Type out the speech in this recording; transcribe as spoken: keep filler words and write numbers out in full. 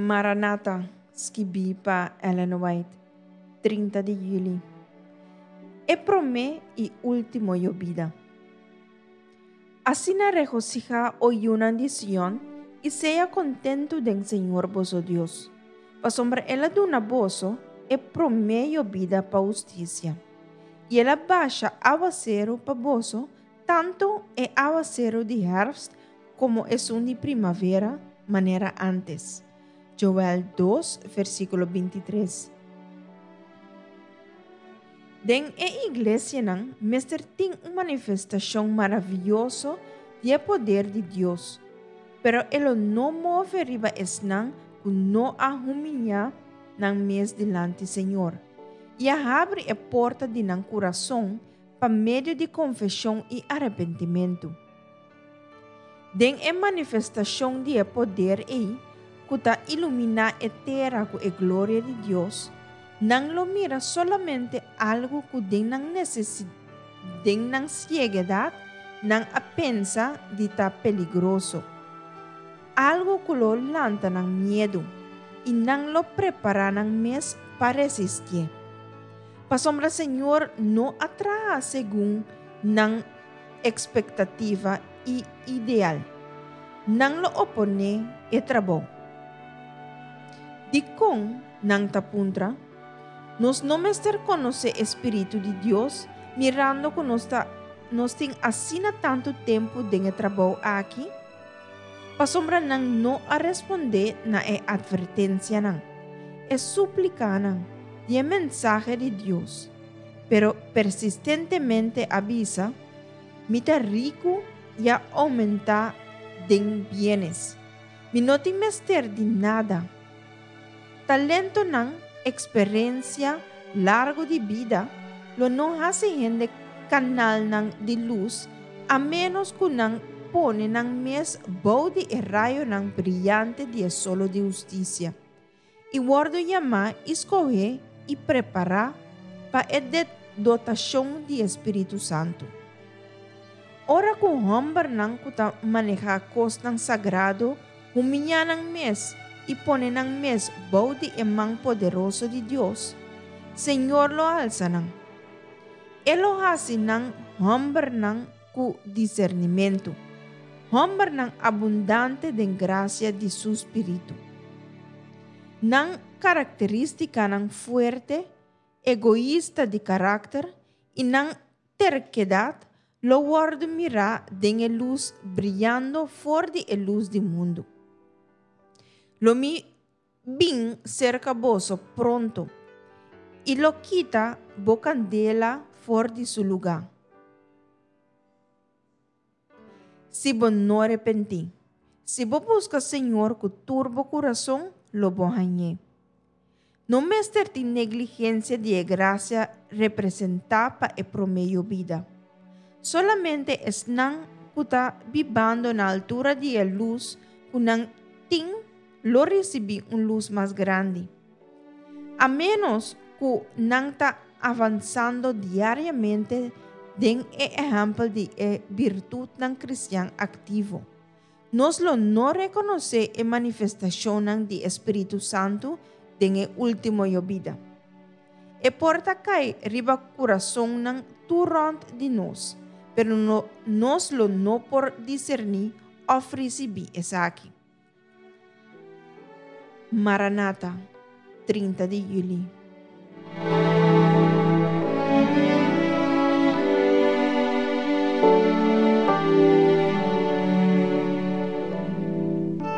Maranata, skibí pa Ellen White, trinta di yüli. E promé i último yobida. Asina regosihá, o yunan di Sion, i sea kontentu den Señor boso Dios. Pasobra El a duna boso e promé yobida pa hustisia. I El a basha áwaseru pa boso, tantu e áwaseru di hèrfst komo esun di primavera, manera ántes. Joel dos, versíkulo bintitres. Den e iglesianan mester tin un manifestashon maravioso di e poder di Dios, pero e lo no move riba esnan ku no a humiliá nan mes dilanti Señor i a habri e porta di nan kurason pa medio di konfeshon i arepentimentu. Den e manifestashon di e poder ei, ku ta iluminá e tera ku e gloria di Dios, nan lo mira solamente algu ku den nan nesesi den nan sieguedat nan a pensa di ta peligroso, algu ku lo lanta nan miedu, i nan lo prepará nan mes pa resistié. Pasobra Señor no a traha segun nan ekspektativa i ideal. Nan lo oponé e trabou. Dikon nan ta puntra? Nos no mester konosé e Spiritu di Dios mirando ku nos ta nos tin asina tantu tempu den e trabou aki? Pasobra nan no a respondé na e atvertensianan, e súplikanan di e mensahe di Dios, pero persistentemente a bisa, Mi ta riku i a oumentá den bienes. Mi no tin mester di nada. Talentonan, eksperensia largu di bida lo no hasi hende kanalnan di lus a ménos ku nan pone nan mes bou di e rayonan briante di e solo di hustisia i wòrdu yamá i skohé i prepará pa e dotashon di e Spiritu Santu. Ora ku hòmbernan ku ta manehá kosnan sagrado humiliá nan mes i pone nan mes bou di e man poderoso di Dios, Señor lo alsa nan. E lo hasi nan hòmbernan ku disernimentu, hòmbernan abundante den grasia di su Spiritu. Nan karakterístikanan fuerte, egoista di karakter i nan terkedat lo wòrdu mirá den e lus briando for di e lus di mundu. Lo mi bin serka boso pronto i lo kita bo kandela for di su lugá. Si bo no arepentí, si bo buska Señor ku tur bo kurason, lo bo hañ'é. No mester tin negligensia di e grasia representá pa e promé yobida. Solamente esnan ku ta bibando na altura di e lus ku nan tin lo risibí un lus mas grandi. A ménos ku nan ta avansando diariamente den e ehèmpel di e birtutnan kristian aktivo, nos lo no rekonosé e manifestashonnan di e Spiritu Santu den e último yobida. E por ta kai riba kurasonnan tur rònt di nos, pero no, nos lo no por diserní òf risibí esaki. Maranata, trinta di yüli.